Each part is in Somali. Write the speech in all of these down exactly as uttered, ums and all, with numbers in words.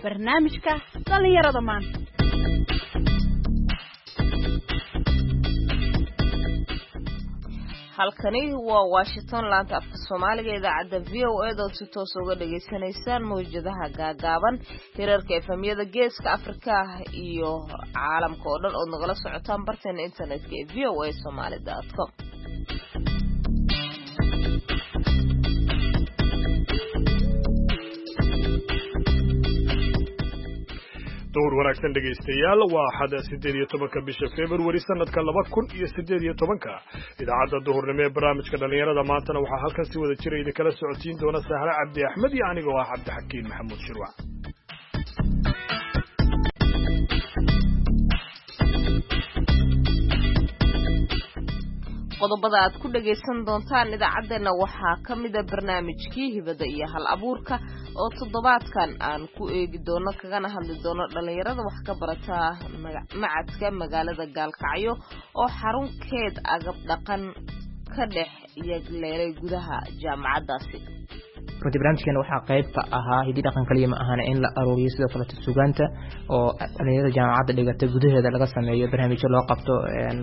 Barnaamijka dhallinyarada maanta. Halkani waa Washington, laanta afka Soomaaliga, idaacadda V O A dood si toos uga dhagaysanaysaan mawjadaha gaagaaban, hirarka efamyada Geeska Afrika iyo caalamka oo dhan ood nagala socotaan barteena internetka ee v o a somali dot com. Duhur wanaagsan dhegaystayaal, waa axada siddeed iyo tobanka bisha Februari sanadka laba kun iyo siddeed iyo tobanka. Idaacadda duhurnimo ee barnaamijka dhallinyarada maantana waxaa halkan si wada jira idinkala socodsiin doona Sahre Cabdi Axmed iyo anigoo ah Cabdixakiin Maxamuud Shirwac. Qodobada aad ku dhagaysan doontaan idaacaddeenna waxaa ka mida barnaamijkii hibada iyo hal abuurka oo toddobaadkan aan ku eegi doono kagana hadli doono dhallinyarada wax ka barata macadka magaalada Gaalkacyo oo xarunkeed agab dhaqan ka dhex yagleelay gudaha jaamacaddaasi. Runtii barnaamijkeena waxaa qayb ka ahaa hiddi dhaqan kaliya ma ahana in la aruuriyo sidoo kaleeto sugaanta oo dhalinyarada jaamacadda dhigata gudaheeda laga sameeyo barnaamijyo loo qabto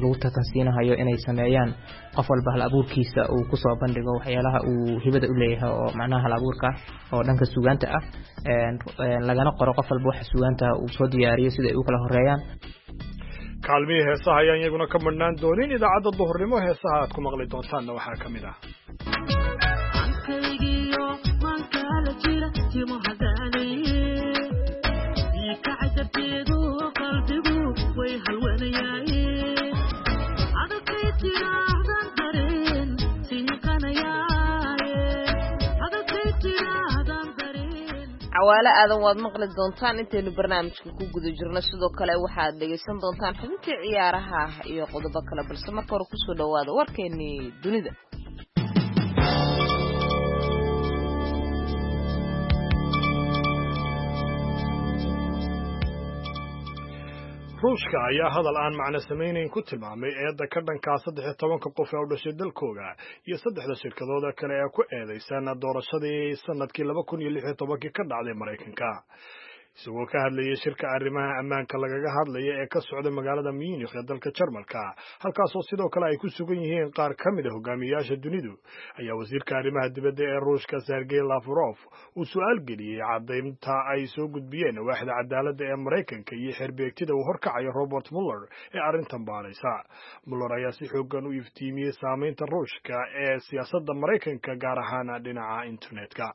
lagu tartansiinahayo inay sameeyaan qof walba hal abuurkiisa uu kusoo bandhigo waxyaalaha uu hibada u leeyahay oo macnaha hal abuurka oo dhanka sugaanta ah, lagana qoro qof walba waxa sugaanta uu soo diyaariyo sida ay u kala horeeyaan. Kaalmihii heesaha ayaan iyaguna ka madhnaan doonin idaacadda duhurnimo. Heesaha aad ku maqli doontaanna waxaa ka mid ah Cawaale Aadan waad maqli doontaan intaynu barnaamijka ku guda jirno. Sidoo kale waxaad dhegaysan doontaan xubintii ciyaaraha iyo qodobo kale, balse marka hore kusoo dhawaada warkeenii dunida. Ruushka ayaa hadal aan macno samaynayn ku tilmaamay eedda ka dhankaa saddex iyo tobanka qof ee u dhashay dalkooga iyo saddexda shirkadooda kale ee ku eedaysan doorashadii sanadkii laba kun iyo lix iyo tobankii ka dhacday Maraykanka. Isagoo ka hadlayay shirka arrimaha ammaanka lagaga hadlaya ee ka socda magaalada Munich ee dalka Jarmalka, halkaasoo sidoo kale ay ku sugan yihiin qaar ka mid a hogaamiyayaasha dunidu, ayaa wasiirka arrimaha dibadda ee Ruushka Sergey Lavrov uu su'aal geliyey caddaynta ay soo gudbiyeen waaxda cadaaladda ee Maraykanka iyo xerbeegtida uu horkacayo Robert Mueller ee arrintan baaraysa. Mueller ayaa si xooggan u iftiimiyey saamaynta Ruushka ee siyaasadda Maraykanka, gaar ahaan dhinaca internetka.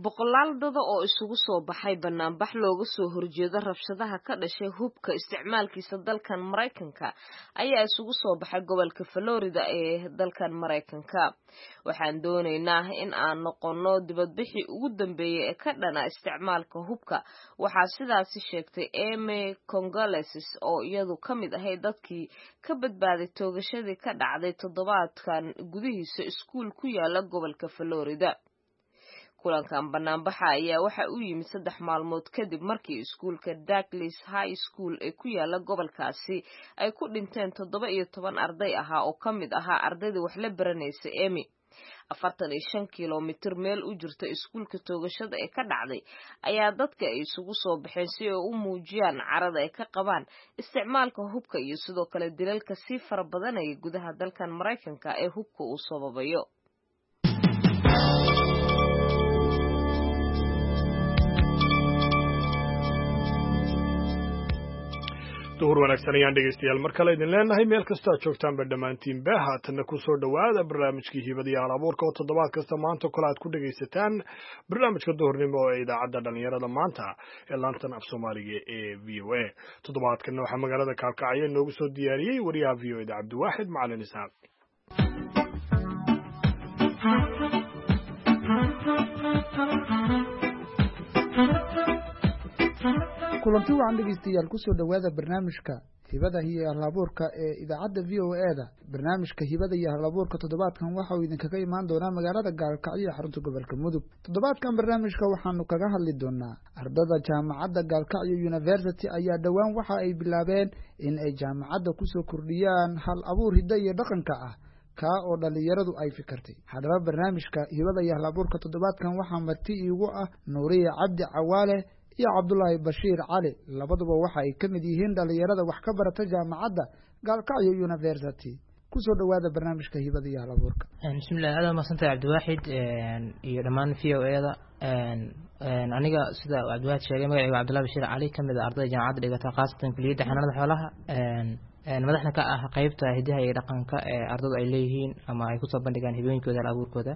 Boqolaal dada oo isugu soo baxay banaanbax looga soo horjeedo rabshadaha ka dhashay hubka isticmaalkiisa dalkan Maraykanka ayaa isugu soo baxay gobolka Florida ee dalkan Maraykanka. Waxaan doonaynaa in aan noqonno dibadbixii ugu dambeeyay ee ka dhana isticmaalka hubka, waxaa sidaasi sheegtay Amy Congoleses oo iyadu ka mid ahayd dadkii ka badbaaday toogashadii ka dhacday toddobaadkan gudihiisa iskuul ku yaala gobolka Florida. Kulankan banaanbaxa ayaa waxa uu yimid saddex maalmood kadib markii iskuulka Douglas High School ee ku yaala gobolkaasi ay ku dhinteen toddoba iyo toban arday ahaa oo ka mid ahaa ardaydii wax la baranaysa Amy. Afartan iyo shan kilomitir meel u jirta iskuulka toogashada ee ka dhacday ayaa dadka ay isugu soo baxeen si ay u muujiyaan carada ay ka qabaan isticmaalka hubka iyo sidoo kale dilalka sii fara badanaya gudaha dalkan Maraykanka ee hubka uu sababayo. Duhur wanaagsan ayaan dhegaystayaal mar kale idin leenahay meel kastoo aad joogtaanba dhammaantiinba. Haatanna ku soo dhowaada barnaamijkii hibada iyo hal abuurka oo toddobaad kasta maanta kale aad ku dhegaysataan barnaamijka duhurnimo ee idaacadda dhallinyarada maanta ee laantan af Soomaaliga ee V O A. Toddobaadkanna waxaa magaalada Kaalkacyo inoogu soo diyaariyey wariyaha V O A da Cabdiwaaxid Macalin Isaaq. Kulanti wacan dhegeystayaal, kusoo dhowaada barnaamijka hibada iyo halabuurka ee idaacadda V O A da. Barnaamijka hibada iyo halabuurka toddobaadkan waxa uu idinkaga imaan doonaa magaalada Gaalkacyo ee xarunta gobolka Mudug. Toddobaadkan barnaamijka waxaanu kaga hadli doonaa ardada jaamacadda Gaalkacyo University ayaa dhowaan waxa ay bilaabeen in ay jaamacadda kusoo kordhiyaan hal abuur hiddo iyo dhaqanka ah kaa oo dhallinyaradu ay fikirtay. Haddaba barnaamijka hibada iyo halabuurka toddobaadkan waxaa marti iigu ah Nuuriye Cabdi Cawaale iyo Cabdulaahi Bashiir Cali. Labaduba waxa ay ka mid yihiin dhalinyarada wax ka barata jaamacadda Gaalkacyo University. Kusoo dhawaada barnaamijka hibada iyo hal abuurka. Bismillahi, aad mahadsantahay Cabdiwaaxid iyo dhammaan V O A da. Aniga sida Cabdiwaaxid sheegay, magacayga Cabdullahi Bashiir Cali, kamid ah ardayda jaamacadda dhigata, khaasatan kuliyadda xanaanada xoolaha, madaxna ka ah qeybta hidaha iyo dhaqanka ee ardadu ay leeyihiin ama ay kusoo bandhigaan hibooyinkooda, hal abuurkooda.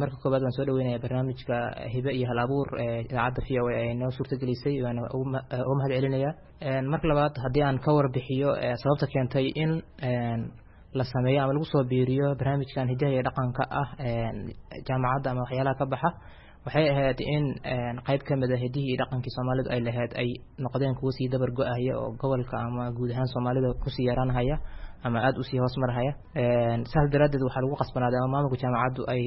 Marka koobaad waan soo dhaweynaya barnaamijka hibe iyo hal abuur ee idaacadda V O A ay noo suurtagelisay, waana uga mahad celinaya. Marka labaad, haddii aan ka warbixiyo sababta keentay in la sameeyo ama lagu soo biiriyo barnaamijkan hidaha iyo dhaqanka ah jaamacadda ama waxyaalaha ka baxa, waxay ahayd in qayb ka mid a hidihii iyo dhaqankii Soomaalidu ay lahayd ay noqdeen kuwo sii dabar go-ahaya oo gobolka ama guud ahaan Soomaalida kusii yaraanhaya ama aada usii hoos marhaya. Saas daraaddeed waxaa lagu qasbanaaday ama maamulka jaamacaddu ay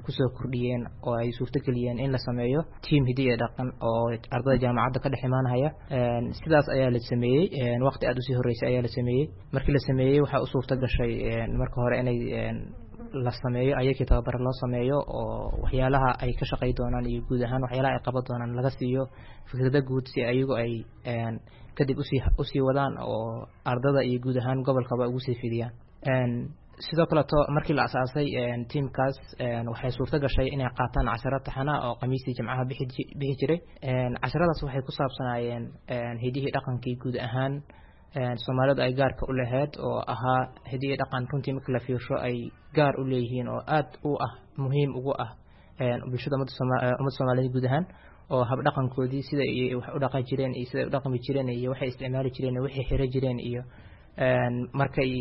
kusoo kordhiyeen oo ay suurtageliyeen in la sameeyo tiam hidi iyo dhaqan oo ardayda jaamacadda ka dhex imaanhaya. Sidaas ayaa la sameeyey, waqti aada usii horreysay ayaa la sameeyey. Markii la sameeyey, waxaa u suurta gashay marka hore inay la sameeyo ayakii tababaro loo sameeyo oo waxyaalaha ay ka shaqey doonaan iyo guud ahaan waxyaalaha ay qaban doonaan laga siiyo fikrado guud, si ayagu ay kadib usii usii wadaan oo ardada iyo guud ahaan gobolkaba ugu sii fidiyaan. Sidoo kaleeto, markii la asaasay tiamkaas, waxay suurto gashay inay qaataan casharo taxana oo khamiistii, jimcaha bixi bixi jiray. Casharadaas waxay ku saabsanaayeen hidihii dhaqankii guud ahaan Soomaalidu ay gaarka u lahayd, oo ahaa hidihii dhaqan runtii marka la fiirsho ay gaar u leeyihiin oo aada u ah muhiim ugu ah bulshada ummadda Soomaaliyeed guud ahaan, oo habdhaqankoodii, sida ay wax u dhaqan jireen iyo sida ay u dhaqmi jireen iyo waxay isticmaali jireen iyo waxay xiro jireen, iyo markay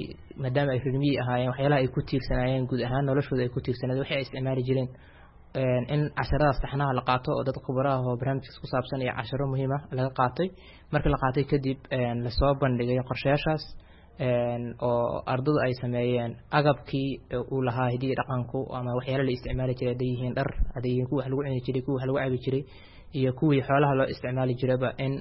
maadaama ay reer miyi ahaayeen waxyaalaha ay ku tiirsanaayeen, guud ahaan noloshooda ay ku tiirsanaayeen, waxay ay isticmaali jireen, in casharadaas taxnaha la qaato oo dad khubaraha oo barnaamijkaas ku saabsan iyo casharo muhiim ah laga qaatay. Markii la qaatay kadib, lasoo bandhigay qorshayaashaas oo ardadu ay sameeyeen agabkii uu lahaa hidiyi dhaqanku ama waxyaala la isticmaali jiray, hadday yihiin dhar, hadday yihiin kuwa wax lagu cuni jiray, kuwa wax lagu cabi jiray iyo kuwii xoolaha loo isticmaali jiraba, in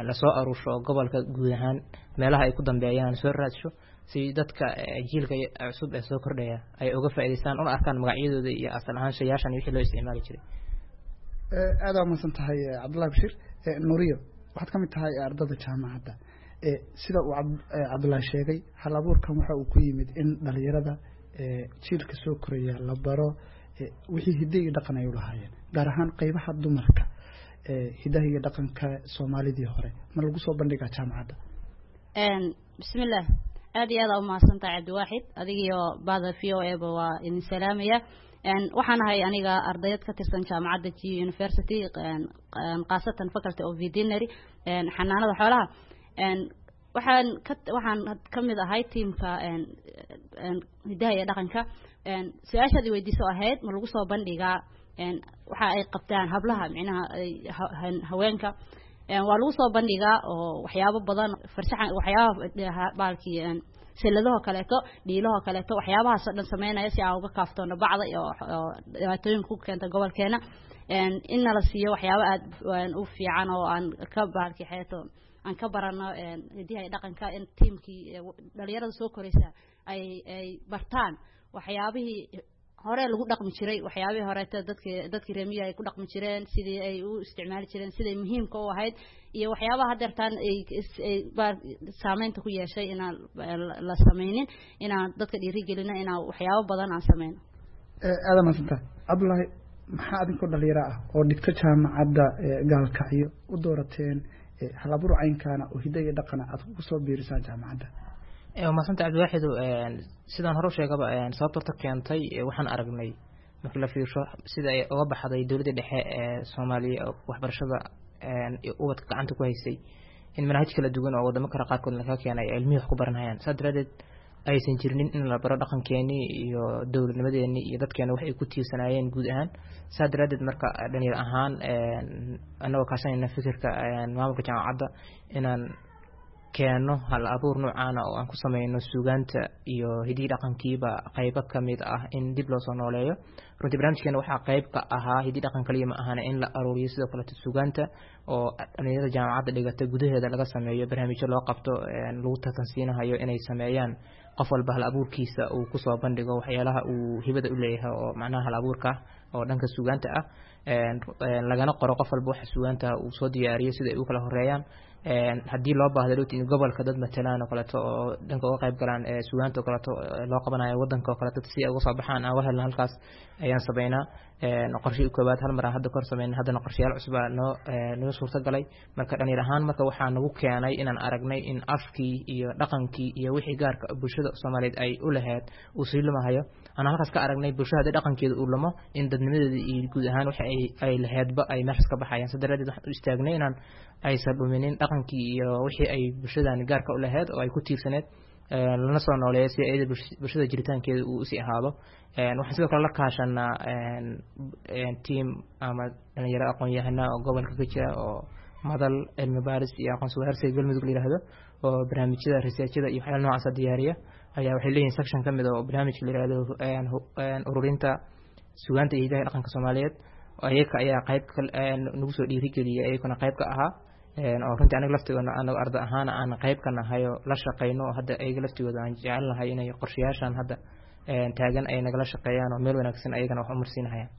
lasoo aruursho gobolka guud ahaan meelaha ay ku dambeeyaan lasoo raadsho, si dadka jiilka cusub ee soo kordhaya ay uga faa'iidaystaan una arkaan magacyadooda iyo asal ahaan shayaashan iyo wixii loo isticmaali jiray. Aada waa mahadsan tahay, Cabdullahi Bashiir. Nuriyo, waxaad ka mid tahay ardada jaamacadda. Sida uu Cabdullaahi sheegay, hal abuurkan waxa uu ku yimid in dhalinyarada jiilka soo koraya la baro wixii hidde iyo dhaqan ay u lahaayeen, gaar ahaan qeybaha dumarka. Hidaha iyo dhaqanka Soomaalidii hore ma lagu soo bandhigaa jaamacadda? Bismillaah, aad iyo aad aa umahadsantahay Cabdiwaaxid, adigiyo bahda V O A ba waa idin salaamaya. Waxaan ahay aniga ardayad ka tirsan jaamacadda G University, khaasatan Faculty of Veterinary, xanaanada xoolaha. Waxaan ka waxaan kamid ahay tiamka hidaha iyo dhaqanka. Su-aashaad i weydiiso ahayd ma lagu soo bandhigaa waxa ay qabtaan hablaha, micnaha haweenka, waa lagu soo bandhigaa oo waxyaabo badan, farshaxan, waxyaabaha baalkii silladahoo kaleeto, dhiilahoo kaleeto, waxyaabahaas oo dhan sameynaya si aan uga kaaftoono bacda iyo dhibaatooyinka ku keenta gobolkeena, in nala siiyo waxyaabo aad u fiican oo aan ka baalkii xeeto aan ka barano hidiha iyo dhaqanka, in tiamkii dhalinyarada soo koraysa ay ay bartaan waxyaabihii hore lagu dhaqmi jiray, waxyaabihii horeeto dadki dadkii reemiya ay ku dhaqmi jireen, sidii ay u isticmaali jireen, siday muhiimka u ahayd, iyo waxyaabaha hadeertaan ay ay saameynta ku yeeshay inaan la sameynin, inaan dadka dhiirigelino inaan waxyaabo badan aan sameyno. Aada mahadsanta, Cabdullaahi. Maxaa adinkoo dhalinyaro ah oo dhigto jaamacadda Gaalkacyo u doorateen hal abuur caynkaana oo hidda iyo dhaqana aad ku soo biirisaan jaamacadda? Mahadsanta Cabdiwaaxido. Sidaan hore u sheegaba, sababta horta keentay, waxaan aragnay markii la fiirsho sida ay uga baxday dowladda dhexe ee Soomaaliya waxbarashada ubadka gacanta ku haysay, in manhaj kala duwan oo wadamo kale qaarkood laga keenay ay ilmihii wax ku baranayaan. Saas daraadeed aysan jirinin in la baro dhaqankeenii iyo dowladnimadeenii iyo dadkeena wax ay ku tiirsanaayeen guud ahaan. Saas daraadeed marka dhalinyar ahaan, annagoo kaashanayna fikirka maamulka jaamacadda, inaan keeno hal abuur noocaana oo aan ku sameyno suugaanta iyo hidihii dhaqankiiba qaybo kamid ah in dib loo soo nooleeyo. Runtii barnaamijkeena waxaa qayb ka ahaa hidii dhaqan kaliya ma ahana in la aruuriyo sidoo kaleeto suugaanta oo dhalinyarada jaamacadda dhigata gudaheeda laga sameeyo barnaamijyo loo qabto lagu tartansiinahayo inay sameeyaan, qof walba hal abuurkiisa uu kusoo bandhigo waxyaalaha uu hibada u leeyahay oo macnaha hal abuurka oo dhanka suugaanta ah. lagana qoro qof walba waxa sugaanta uu soo diyaariyo sida ay u kala horeeyaan. Haddii loo baahdo dhowti in gobolka dad matalaan oo kaleeto oo dhanka uga qayb galaan sugaanta oo kaleeto loo qabanayo wadanka oo kaleeto si ay uga soo baxaan aan uga helno halkaas ayaan sameynaa. Qorshe koowaad hal mar aan hadda kor sameynay, haddana qorshayaal cusub aa noo noo suurta galay. Marka dhalinyar ahaan marka waxaa nagu keenay inaan aragnay in afkii iyo dhaqankii iyo wixii gaarka bulshada Soomaaliyeed ay u lahayd uu sii lumahayo. Aan halkaas ka aragnay bulshada haddii dhaqankeeda uu lumo in dadnimadeeda iyo guud ahaan waxa ay ay lahaydba ay meeshaas ka baxayaan. Sidaa daraaddeed waxaan u istaagnay inaan aysan dhuminin dhaqankii iyo wixii ay bulshadan gaarka u lahayd oo ay ku tiirsaneed, lana soo nooleeyo si iyada bulshada jiritaankeeda uu usii ahaado. Waxaan sidoo kale la kaashanaa team ama dhalinyaro aqoon-yahana oo gobolka ka jira oo madal cilmi baaris iyo aqoonsi wadaarsiga Galmudug la yiraahdo oo barnaamijyada researchada iyo waxyaalaha noocaas diyaariya ayaa waxay leeyihiin section ka mid ah oo barnaamijka la yiraahdo ururinta sugaanta iyo hidaha dhaqanka Soomaaliyeed. Ayaga ayaa qayb nagu soo dhiirigeliyay, ayaguna qayb ka ahaa oo runtii aniga laftigoona anaga arday ahaan aan qayb ka nahay oo la shaqeyno oo hadda ayaga laftigooda aan jecelnahay inay qorshayaashan hadda taagan ay nagala shaqeeyaan oo meel wanaagsan ayagana wax u marsiinahayaan.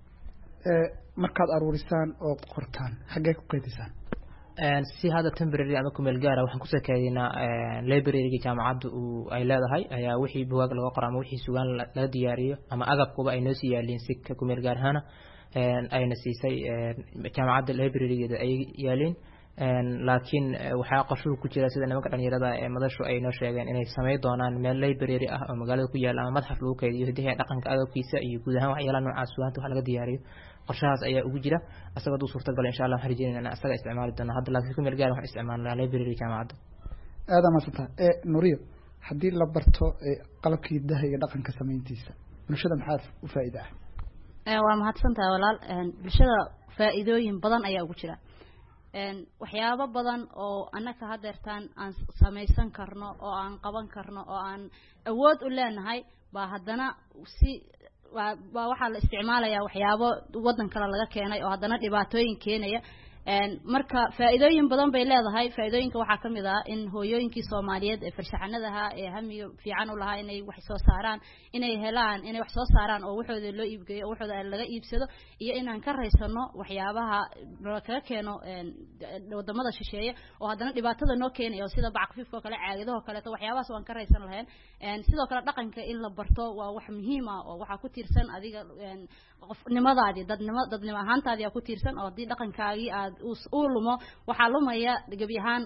Markaad aruurisaan oo qortaan xaggee ku kaydisaan? Si hadda temporary ama kumeel gaara waxaan kusoo kaydinaa library-ga jaamacadda uu ay leedahay ayaa wixii bugaag laga qoro ama wixii sugaan laga diyaariyo ama agabkuba ay noo sii yaaliin si kumeel gaar ahaana ayna siisay jaamacadda library-geeda ay yaaliin. Laakiin waxaa qorshuhu ku jira sida nimanka dhalinyarada ee madashu ay noo sheegeen inay sameyn doonaan meel library ah oo magaalada ku yaala ama madxaf lagu kaydiyo hidaha dhaqanka agabkiisa iyo guud ahaan waxyaalaha noocaas sugaanta wax laga diyaariyo. Qorshahaas ayaa ugu jira asaga hadduu suurta galo insha Allah waxaan rajeynayna inaan asaga isticmaali doono hadda, laakiin ku meel gaar waxaan isticmaalnaa library jaamacadda. Aada maadsantaha Nuriyo. Haddii la barto qalabkii hidaha iyo dhaqanka samayntiisa bulshada maxaa u faa'iida ah? Waa mahadsantahay walaal. Bulshada faa'iidooyin badan ayaa ugu jira, waxyaabo badan oo annaka hadeertaan aan samaysan karno oo aan qaban karno oo aan awood u leenahay baa haddana si waa baa waxaa la isticmaalayaa waxyaabo waddan kale laga keenay oo haddana dhibaatooyin keenaya. Marka faa'iidooyin badan bay leedahay. Faa'iidooyinka waxaa kamid ah in hooyooyinkii Soomaaliyeed ee farshaxanada ahaa ee hamiga fiican u lahaa inay wax soo saaraan inay helaan inay wax soo saaraan oo waxooda loo iibgeeyo oo waxooda laga iibsado, iyo inaan ka raysano waxyaabaha kaga keeno wadamada shisheeye oo haddana dhibaatada noo keenaya oo sida bac khafiifka oo kale, caagadaha oo kaleeto, waxyaabahaas waan ka raysan lahayn. Sidoo kale dhaqanka in la barto waa wax muhiim ah oo waxaa ku tiirsan adiga qofnimadaadii, dadnimo dadnimo ahaantaadii aa ku tiirsan, oo haddii dhaqankaagii aad uu lumo waxaa lumaya gebi ahaan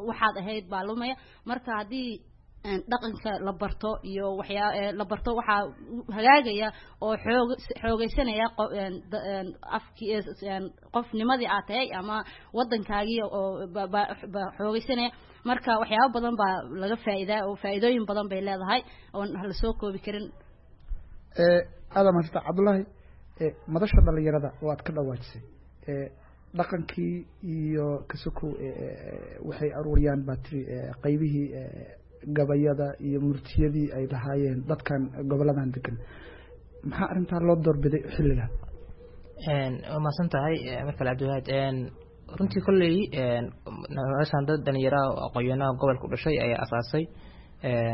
waxaad ahayd baa lumaya. Marka haddii dhaqanka la barto iyo waxyaa la barto waxaa hagaagaya oo xoog xoogeysanaya afkii qofnimadii aad tahay ama waddankaagii oo ba xoogeysanaya. Marka waxyaabo badan baa laga faa'iidaa oo faa'iidooyin badan bay leedahay oon la soo koobi karin. Aada mahadsanta Cabdullaahi. Madasha dhalinyarada oo aad ka dhawaajisay dhaqankii iyo kasuku waxay aruuriyaan baa tiri qaybihii gabayada iyo murtiyadii ay lahaayeen dadkan goboladan degan, maxaa arrintaa loo doorbiday xilligan? Waa mahadsan tahay mar kale Cabdiwahaad. Runtii kolley noloshan dad dhalinyaraha oo aqoon-yahanaha gobolka u dhashay ayaa asaasay.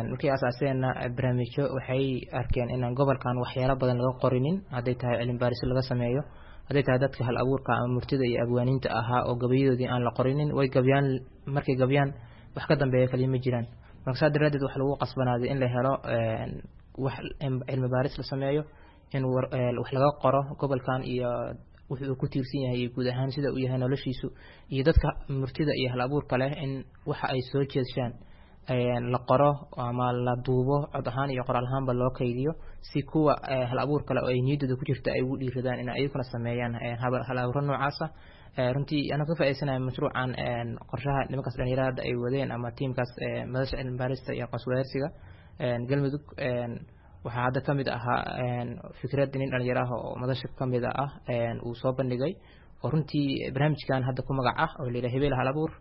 Markay asaaseenna barnaamijyo waxay arkeen inaan gobolkan waxyaalo badan laga qorinin, hadday tahay cilmi baarisyo laga sameeyo, hadday tahay dadka hal abuurka ama murtida iyo abwaaniinta ahaa oo gabayadoodii aan la qorinin. Way gabyaan, markay gabyaan wax ka dambeeya kaliya ma jiraan. Marka saa daraaddeed waxa lagu qasbanaaday in la helo wax cilmi baaris la sameeyo, in wax laga qoro gobolkan iyo wuxuu ku tiirsan yahay iyo guud ahaan sida uu yahay noloshiisu, iyo dadka murtida iyo hal abuurka leh in waxa ay soo jeedshaan la qoro ama la duubo cod ahaan iyo qoraal ahaanba loo kaydiyo, si kuwa hal abuur kale oo ay niyaddooda ku jirta ay ugu dhiiradaan in ayaguna sameeyaan hal abuuro noocaasa. Runtii anaa ka faa'iidaysanaya mashruucan qorshaha nimankaas dhalinyarada hadda ay wadeen ama tiimkaas madasha cilmi baarista iyo aqoonsi wadaarsiga Galmudug, waxaa hadda kamid ahaa fikrad nin dhalinyaro ah oo madasha kamid ah uu soo bandhigay oo runtii barnaamijkan hadda ku magac ah oo la yidhaha Hebel hal abuur.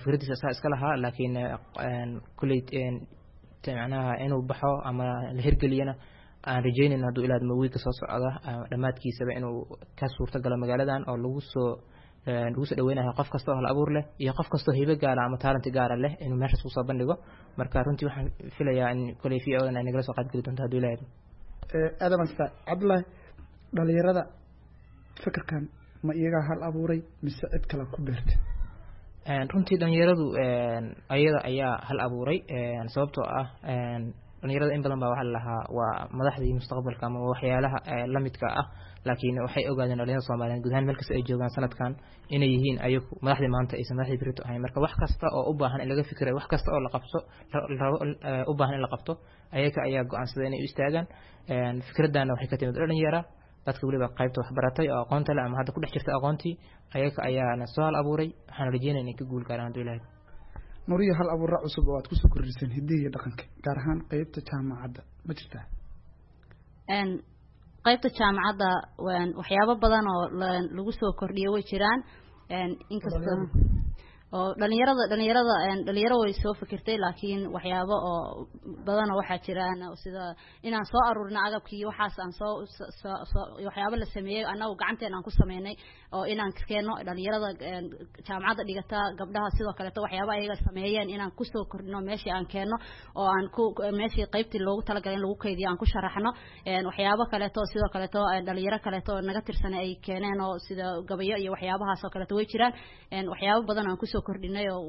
Fikradiisa asaa iska lahaa, laakiin kulley macnaha inuu baxo ama la hirgeliyana aan rajeynayno hadduu ilaadmo wiigka soo socda dhammaadkiisaba inuu ka suurto galo magaaladan oo lagu soo lagu soo dhaweynayo qof kasta oo hal abuur leh iyo qof kastoo hibo gaara ama talent gaara leh inuu meeshaas kusoo bandhigo. Marka runtii waxaan filayaa in koley v o dan ay nagala soo qaybgeli doonto hadduu ilaahdo. Aada mahadsanta Cabdullaahi. Dhalinyarada Fikirkan ma iyagaa hal abuuray mise cid kale ku beertay? Runtii dhalinyaradu ayada ayaa hal abuuray, sababtoo ah dhalinyarada in badan baa waxaa lalahaa waa madaxdii mustaqbalka ama waxyaalaha lamidka ah, laakiin waxay ogaadeen dhalinyarada Soomaaliyeed guud ahaan meel kasta ay joogaan sanadkan inay yihiin ayagu madaxdii maanta aysan madaxdii berito ahayn. Marka wax kasta oo u baahan in laga fikirayo, wax kasta oo la qabto rabo u baahan in la qabto, ayaga ayaa go-aansaday inay u istaagaan. Fikradana waxay ka timid dhalinyara, dadka weliba qaybta waxbaratay oo aqoonta leh ama hadda ku dhex jirta aqoontii, ayaga ayaana soo hal abuuray. Waxaan rajeynaya inay ka guul gaaraan hadduu Ilaahay. Nuriyo, hal abuura cusub oo aad kusoo kordhiseen hiddihii iyo dhaqanka, gaar ahaan qeybta jaamacadda, ma jirtaa? Qaybta jaamacadda waxyaabo badan oo lagu soo kordhiyo way jiraan, inkasta oo dhalinyarada dhalinyarada dhalinyaro way soo fikirtay, laakiin waxyaabo oo badanoo waxaa jiraan sida inaan soo aruurino agabkii, waxaas aan soo soo waxyaabo la sameeyey annagu gacanteen aan ku sameynay oo inaan keeno dhalinyarada jaamacadda dhigata, gabdhaha sidoo kaleeto waxyaabo ayaga sameeyeen inaan kusoo kordhino meeshii aan keeno oo aan ku meeshii qaybtii loogu talagalay in lagu kaydiyo aan ku sharaxno. Waxyaabo kaleeto sidoo kaleeto dhalinyaro kaleeto naga tirsan ay keeneen oo sida gabayo iyo waxyaabahaas oo kaleeto way jiraan. Waxyaabo badan aan kusoo kordhinay oo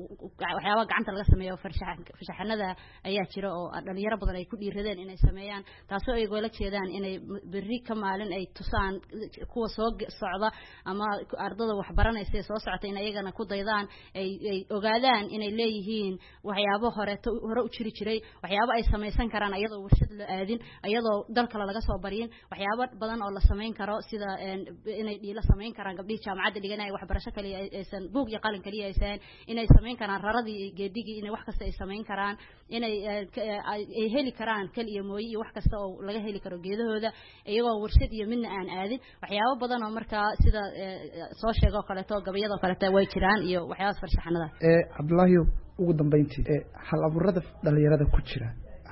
waxyaabaha gacanta laga sameeyo farshaxanada ayaa jira oo dhalinyaro badan ay ku dhiiradeen inay sameeyaan, taasoo ay gola jeedaan inay berri ka maalin ay tusaan kuwa soo socda ama ardada waxbaranaysa ee soo socota in ayagana ku daydaan, ay ay ogaadaan inay leeyihiin waxyaabo horeeto hore u jiri jiray, waxyaabo ay samaysan karaan iyadoo warshad la aadin, iyadoo dal kale laga soo baryin, waxyaabo badan oo la samayn karo sida inay dhiilo samayn karaan gabdhihii jaamacadda dhiganaya, waxbarasho kaliya aysan buug iyo qalin kaliya aysan, inay samayn karaan raradii iyo geedigii, inay wax kasta ay samayn karaan, inay ay heli karaan kal iyo mooye iyo wax kasta oo laga heli karo geedahooda iyagoo warshad iyo midna aan aadin. Waxyaabo badan oo markaa sida soo sheegoo kaleeto gabayadoo kaleeto way jiraan iyo waxyaabaas farshaxanada. Cabdullaahi, ugu dambeyntii, hal abuurada dhalinyarada ku jira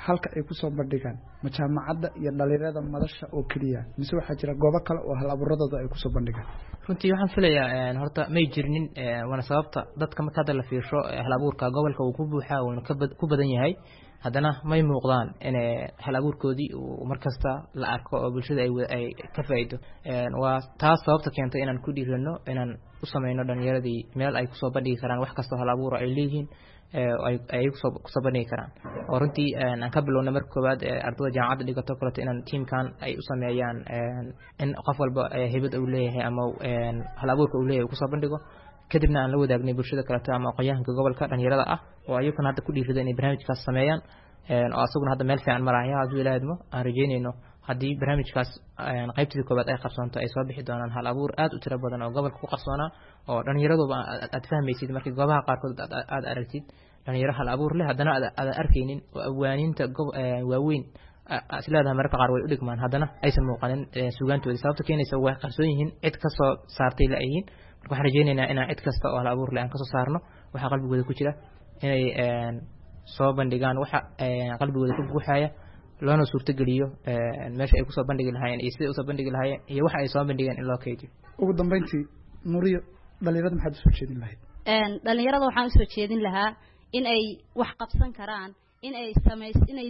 halka ay kusoo bandhigaan ma jaamacadda iyo dhalinyarada madasha oo keliya mise waxaa jira goobo kale oo hal abuuradooda ay kusoo bandhigaan? Runtii waxaan filayaa horta may jirnin, waana sababta dadka marka hadda la fiirsho hal abuurka gobolka uu ku buuxaa wuuna ku badan yahay, haddana may muuqdaan in hal abuurkoodii uu markasta la arko oo bulshada ay ka faa'iido. Waa taas sababta keentay inaan ku dhiirano inaan u sameyno dhalinyaradii meel ay kusoo bandhigi karaan wax kastoo hal abuura ay leeyihiin, ay kusoo kusoo bandhigi karaan. Oo runtii aan ka bilownay marka koowaad ardada jaamacadda dhigato kaleto inaan tiimkan ay u sameeyaan in qof walba hibad uu leeyahay ama hal abuurka uu leeyahay uu kusoo bandhigo, kadibna aan la wadaagnay bulshada kaleto ama aqoonyahanka gobolka dhalinyarada ah oo ayaguna hadda ku dhiirida inay barnaamijkaas sameeyaan, oo asaguna hadda meel fiican maraya. Hadduu Ilaahay idmo, aan rajeynayno haddii barnaamijkaas qaybtii koowaad ay qabsoonto ay soo bixi doonaan hal abuur aad u tiro badan oo gobolka ku qarsoonaa oo dhalinyaraduba aad fahmaysid markii goobaha qaarkood aad aragtid dhalinyaro hal abuur leh, haddana aadan arkaynin oo awaaniinta waaweyn isleedahay mararka qaar way u dhigmaan, haddana aysan muuqanin suugaantoodii. Sababta keenaysa way qarsoon yihiin, cid kasoo saartay la yihiin. Marka waxaan rajeynaynaa inaan cid kasta oo hal abuur leh aan kasoo saarno waxa qalbigooda ku jira, inay soo bandhigaan waxa qalbigooda ku buuxaya, loona suurtogeliyo meesha ay kusoo bandhigi lahaayeen iyo siday usoo bandhigi lahaayeen iyo waxa ay soo bandhigeen in loo kaydiyo. Ugu dambeyntii, Nuriyo, dhalinyarada maxaad usoo jeedin lahayd? Dhalinyarada waxaan usoo jeedin lahaa in ay wax qabsan karaan, in ay samays inay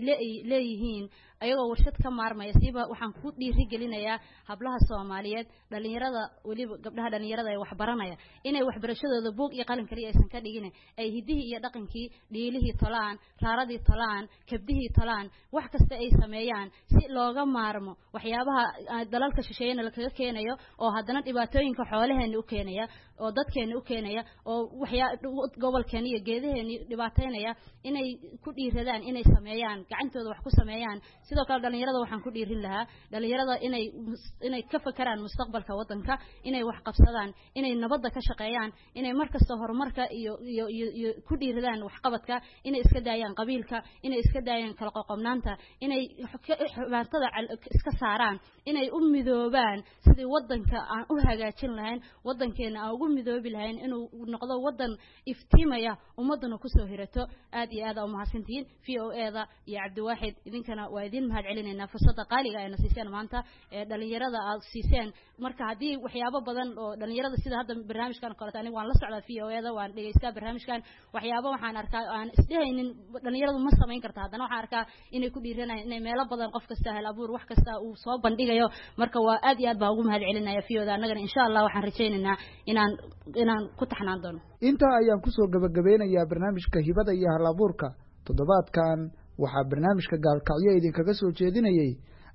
leeyihiin ayagoo warshad ka maarmaya. Siiba waxaan ku dhiirigelinayaa hablaha Soomaaliyeed, dhalinyarada, weliba gabdhaha dhalinyarada ee waxbaranaya, inay waxbarashadooda buug iyo qalin kaliya aysan ka dhigin, ay hiddihii iyo dhaqankii, dhiilihii tolaan, raaradii tolaan, kabdihii tolaan, wax kasta ay sameeyaan si looga maarmo waxyaabaha dalalka shisheeyana lakaga keenayo oo haddana dhibaatooyinka xoolaheena u keenaya oo dadkeena u keenaya oo waxyaa gobolkeena iyo geedaheena dhibaateynaya, inay ku dhiiradaan inay sameeyaan gacantooda wax ku sameeyaan. Sidoo kale dhalinyarada waxaan ku dhiirin lahaa dhalinyarada inay inay ka fakaraan mustaqbalka waddanka, inay wax qabsadaan, inay nabadda ka shaqeeyaan, inay markasta horumarka iyo iyo iyo iyo ku dhiiradaan waxqabadka, inay iska daayaan qabiilka, inay iska daayaan kala qoqobnaanta, inay xubaatada iska saaraan, inay u midoobaan sidii waddanka aan u hagaajin lahayn, waddankeena aan ugu midoobi lahayn inuu noqdo waddan iftiimaya, ummadduna kusoo hirato. Aad iyo aad aa umahadsantihiin. V O A-da iyo Cabdiwaaxid, idinkana waa idin mahad celinaynaa fursadda qaaliga ayna siiseen maanta ee dhalinyarada aad siiseen. Marka haddii waxyaabo badan oo dhalinyarada sida hadda barnaamijkan oo kaleeto, aniga waan la socdaa V O A-da, waan dhegeystaa barnaamijkan, waxyaabo waxaan arkaa aan isdhehaynin dhalinyaradu ma samayn karta, haddana waxaan arkaa inay ku dhiiranayaan inay meelo badan qof kasta hal abuur wax kasta uu soo bandhigayo. Marka waa aad iyo aad baan ugu mahad celinaya V O A-da, annagana insha Allah waxaan rajaynaynaa inaan inaan ku taxnaan doono. Intaa ayaan kusoo gabagabeynayaa barnaamijka hibada iyo hal abuurka toddobaadkan. Waxaa barnaamijka Gaalkacyo idinkaga soo jeedinayey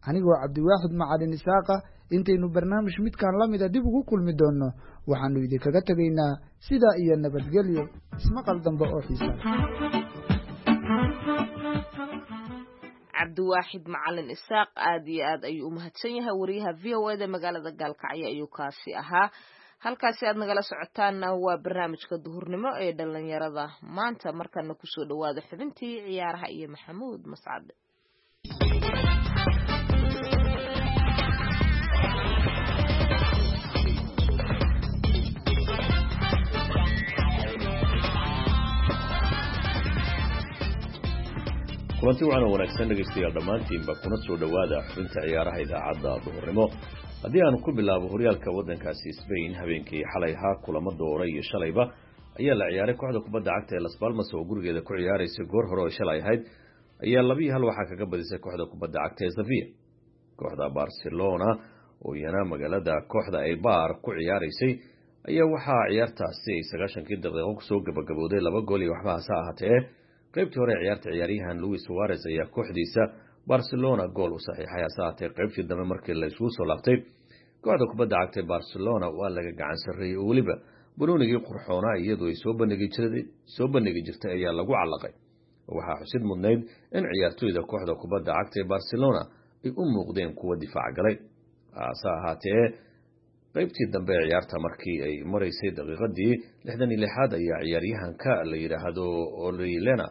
anigoo Cabdiwaaxid Macalin Isaaqa. Intaynu barnaamij midkan la mida dib ugu kulmi doonno, waxaanu idinkaga tegaynaa sidaa iyo nabadgelyo, ismaqal dambe oo xiisa. Cabdiwaaxid Macalin Isaaq aad iyo aad ayuu u mahadsan yahay. Wariyaha V O A da magaalada Gaalkacyo ayuu kaasi ahaa. Halkaasi aad nagala socotaanna waa barnaamijka duhurnimo ee dhalinyarada maanta. Markana kusoo dhawaada xubintii ciyaaraha iyo Maxamuud Mascade. Kulanti wacan oo wanaagsan dhegaystayaal dhammaantiinba, kuna soo dhowaada xubinta ciyaaraha idaacadda duhurnimo. Haddii aanu ku bilaabo horyaalka waddankaasi Spain, habeenkii xalay ahaa kulamo doora iyo shalayba ayaa la ciyaaray. Kooxda kubadda cagta ee Las Palmas oo gurigeeda ku ciyaaraysay goor hore oo shalay ahayd ayaa laba iyo hal waxaa kaga badisay kooxda kubadda cagta ee Sevilla. Kooxda Barcelona oo iyana magaalada kooxda Eibar ku ciyaaraysay ayaa waxaa ciyaartaasi ay sagaashankii daqiiqo kusoo gabagabooday laba gool iyo waxba. Hase ahaatee qaybtii hore ciyaarta ciyaaryahan Luis Suarez ayaa kooxdiisa Barcelona gool u saxiixay. Hase ahaatee qaybtii dambe markii la isugu soo laabtay, kooxda kubadda cagta ee Barcelona waa laga gacan sarreeyey oo weliba banoonigii qurxoonaa iyadoo ay soo bandhigi jiray soo bandhigi jirtay ayaa lagu calaqay. Waxaa xusid mudnayd in ciyaartoyda kooxda kubadda cagta ee Barcelona ay u muuqdeen kuwa difaac galay. Hase ahaatee qaybtii dambe ee ciyaarta markii ay maraysay daqiiqadii lixdan iyo lixaad ayaa ciyaaryahanka la yidhaahdo Orellana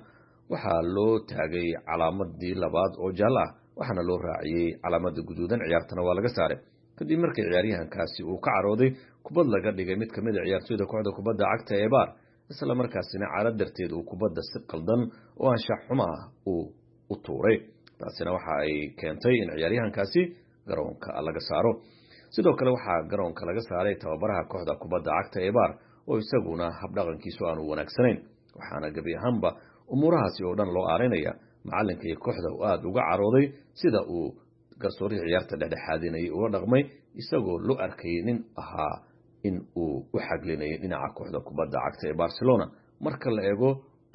waxaa loo taagay calaamadii labaad oo jaallo ah, waxaana loo raaciyey calaamada guduudan, ciyaartana waa laga saaray kadib markii ciyaaryahankaasi uu ka carooday kubad laga dhigay mid kamid a ciyaartoyda kooxda kubadda cagta ee Eibar, isla markaasina caro darteed uu kubadda si qaldan oo anshax xumo ah uu u tuuray. Taasina waxa ay keentay in ciyaaryahankaasi garoonka laga saaro. Sidoo kale waxaa garoonka laga saaray tababaraha kooxda kubadda cagta ee Eibar oo isaguna habdhaqankiisu aanu wanaagsanayn, waxaana gebi ahaanba umuurahaasi oo dhan loo aarinaya macalinka iyo kooxda oo aada uga carooday sida uu garsoorihii ciyaarta dhexdhexaadinayay ula dhaqmay, isagoo loo arkayay nin ahaa in uu u xaglinayay dhinaca kooxda kubadda cagta ee Barcelona marka la eego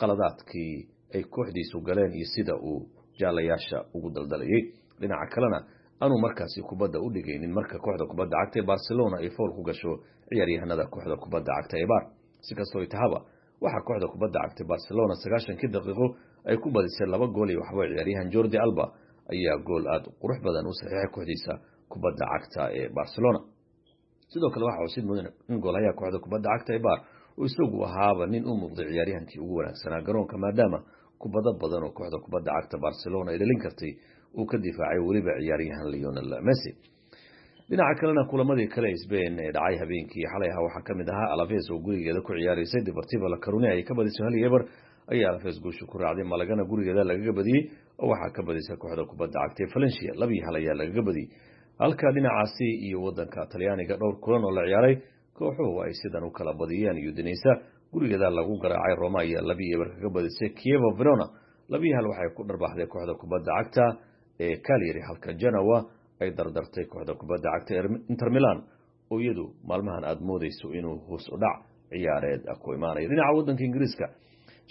qaladaadkii ay kooxdiisu galeen iyo sida uu jaalayaasha ugu daldalayay, dhinaca kalena aanu markaasi kubadda u dhigaynin marka kooxda kubadda cagta ee Barcelona ay fool ku gasho ciyaaryahanada kooxda kubadda cagta ee Eibar. Si kastoo tahaba, waxaa kooxda kubadda cagta Barcelona sagaashankii daqiiqo ay ku badisay laba gool iyo waxba. Ciyaaryahan Jordi Alba ayaa gool aada qurux badan u saxiixay kooxdiisa kubadda cagta ee Barcelona. Sidoo kale waxaa xusid mudan in goolhayaha kooxda kubadda cagta Eibar uu isagu ahaaba nin u muuqday ciyaaryahankii ugu wanaagsanaa garoonka, maadaama kubado badan oo kooxda kubadda cagta Barcelona ay dhalin kartay uu ka difaacay weliba ciyaaryahan Lionel Messi. Dhinaca kalena kulamadii kale Spain ee dhacay habeenkii xalay ahaa waxaa ka mid ahaa Alaves oo gurigeeda ku ciyaaraysay Deportivo La Coruña ay ka badisay, hal iyo eber ayaa Alaves guusha ku raacday. Malagana gurigeeda lagaga badiyey oo waxaa ka badisay kooxda kubadda cagta ee Valencia, laba iyo hal ayaa lagaga badiyey. Halka dhinacaasi iyo wadanka Talyaaniga dhowr kulan oo la ciyaaray kooxuhu ay sidan u kala badiyeen: Udinese gurigeeda lagu garaacay, Roma ayaa laba iyo eber kaga badisay Chievo Verona, laba iyo hal waxay ku dharbaaxday kooxda kubadda cagta ee Cagliari, halka Genoa ay dardartay kooxda kubadda cagta ee Inter Milan oo iyadu maalmahan aada moodeyso inuu hoos u dhac ciyaareed ku imaanayo. Dhinaca waddanka Ingiriiska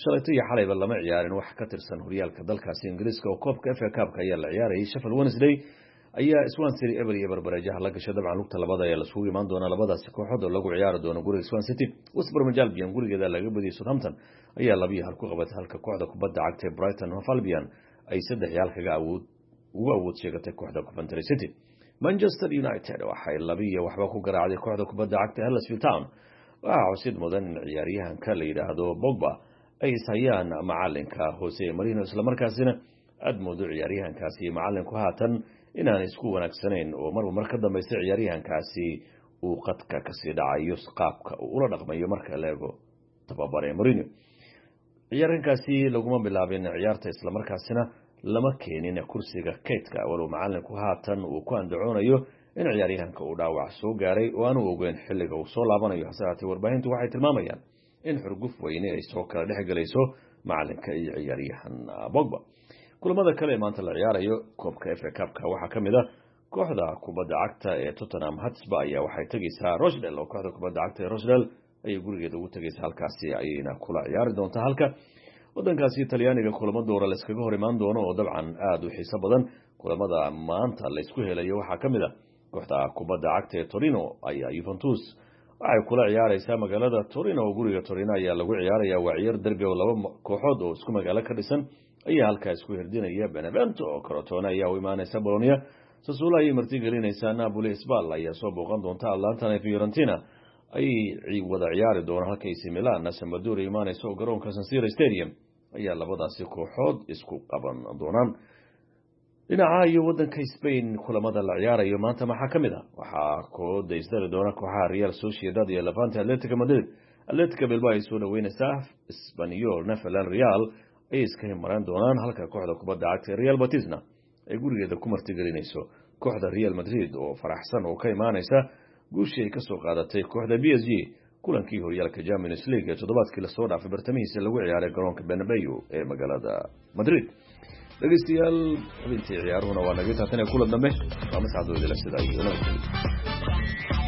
shalayto iyo xalayba lama ciyaarin wax ka tirsan horyaalka dalkaasi Ingiriiska oo koobka F A Cup-ka ayaa la ciyaarayay. Sheffield Wednesday ayaa Swansea City eber iyo eber bareejaha la gashay. Dabcan lugta labada ayaa lasugu imaan doonaa labadaasi kooxood oo lagu ciyaari doono guriga Swansea City. West Bromwich Albion gurigeeda laga badiyay, Southampton ayaa laba iyo hal ku qabatay, halka kooxda kubadda cagta ee Brighton Hove Albion ay saddex iyo hal kaga awood ugu awood sheegatay kooxda Coventry City. Manchester United waxay laba iyo waxba ku garaacday kooxda kubadda cagta Huddersfield Town. Waxaa xusid mudan in ciyaaryahanka la yidhaahdo Pogba ay ishayaan macalinka Jose Mourinho, islamarkaasina aada moodo ciyaaryahankaasi iyo macalinku haatan inaan isku wanaagsanayn oo marba mar ka dambaysa ciyaaryahankaasi uu qadka kasii dhacayo qaabka uu ula dhaqmayo marka la eego tababare Mourinho. Ciyaaryahankaasi laguma bilaabin ciyaarta, islamarkaasina lama keenin kursiga kaydka, walow macalinku haatan uu ku andacoonayo in ciyaaryahanka uu dhaawac soo gaaray oo aanu ogeyn xilliga uu soo laabanayo. Hase haatee warbaahintu waxay tilmaamayaan in xurguf weyne ay soo kala dhex gelayso macalinka iyo ciyaaryahan Pogba. Kulamada kale ee maanta la ciyaarayo koobka F A Cup-ka waxaa ka mid ah kooxda kubadda cagta ee Tottenham Hotspur ayaa waxay tegaysaa Rochdale, oo kooxda kubadda cagta ee Rochdale ayay gurigeeda ugu tegaysaa, halkaasi ayayna kula ciyaari doontaa. Halka wadankaasi Talyaaniga kulamo doora la iskaga hor imaan doono oo dabcan aada u xiiso badan. Kulamada maanta la isku helayo waxaa ka mid ah kooxda kubadda cagta ee Torino ayaa Juventus waxay kula ciyaaraysaa magaalada Torino, oo guriga Torino ayaa lagu ciyaaraya. Waa ciyaar derbi oo laba kooxood oo isku magaalo ka dhisan ayaa halkaa isku hirdinaya. Benevento oo Crotone ayaa u imaanaysa Bologna, Sassuolo ayay martigelinaysaa Napoli, Spal ayaa soo booqan doonta Atlanta, Fiorentina ayay wada ciyaari doonaan, halka A C Milan Sampdoria imaanaysa oo garoonka San Siro Stadium ayaa labadaasi kooxood isku qaban doonaan. Dhinaca iyo wadanka Spain kulamada la ciyaarayo maanta maxaa ka mid ah? Waxaa kooda isdari doona kooxaha Real Sociedad iyo Levante. Atletico Madrid Atletico Bilbao ay soo dhaweynaysaa, Espanyol Villarreal ayay iska himaraan doonaan, halka kooxda kubadda cagta ee Real Betisna ay gurigeeda ku martigelinayso kooxda Real Madrid oo faraxsan oo ka imaanaysa guushii ay kasoo qaadatay kooxda B S G kulankii horyaalka Champions League ee toddobaadkii lasoo dhaafay bartamihiisa lagu ciyaaray garoonka Bernabeu ee magaalada Madrid. Dhegeystayaal, xubintii ciyaaruhuna waa naga taatan ee kulan dambe, waa mascadooda sida iyo nabadgelyo.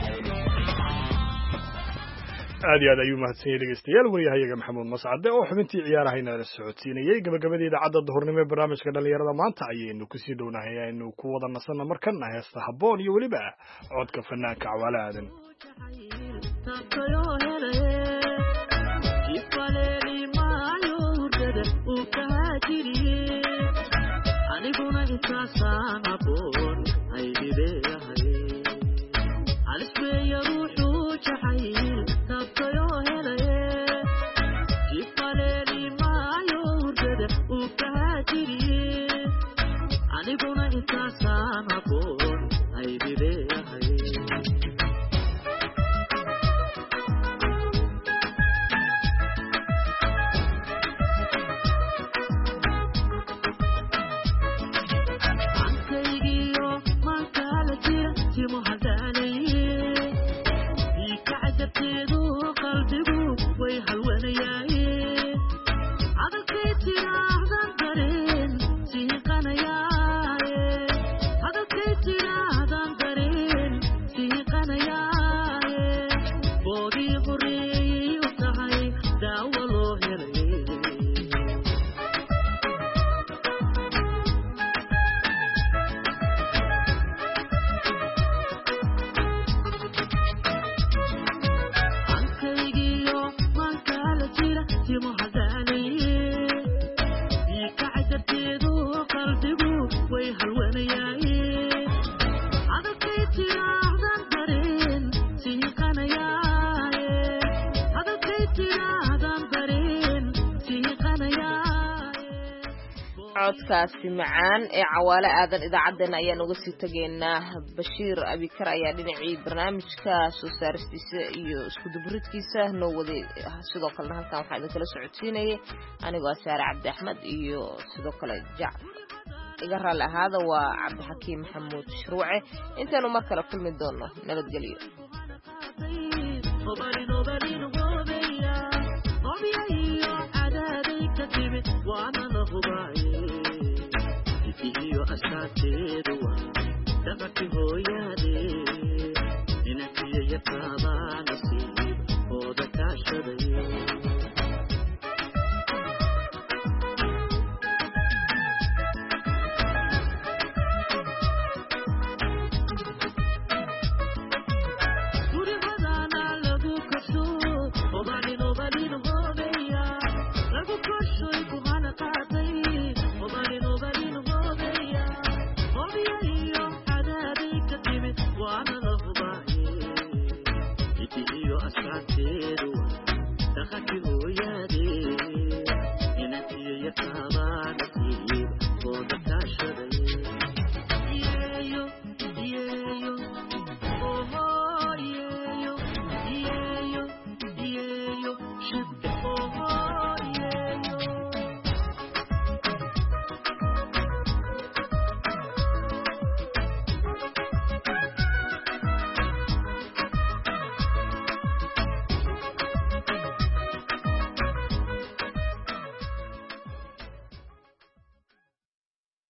Aad iyo aad ayuu mahadsan yahay dhegeystayaal wariyahayaga Maxamuud Mascade oo xubintii ciyaarahayna la socodsiinayay. Gabagabadii idaacadda duhurnimo ee barnaamijka dhalinyarada maanta ayaynu kusii dhownahay, aynu ku wada nasanno markana heesta habboon iyo weliba codka fanaanka Cawaale Aadan. Aniguna intaasaan aboon aydileeyahay alisbeeya ruuxuu jacayl taabtayoo helaye jifaleeli maayo hurdada uu kahaajiriye aniguna intaasaan aboon aydileeyahay. Codkaasi macaan ee Cawaale Aadan idaacaddeenna ayaan uga sii tegaynaa. Bashiir Abikar ayaa dhinacii barnaamijka soo saaristiisa iyo isku dubridkiisa noo waday, sidoo kalena halkan waxaa idinkala socodsiinayay anigoo Saare Cabdi Axmed iyo sidoo kale Jac iga raalli ahaada waa Cabdixakiim Maxamuud Shuruuce. Intaanu mar kale kulmi doono nabadgelyo. Iyo astaanteedu waa dhaqanki hooyaade inankiyo yaqaabaa nasiib ooda kaashaday.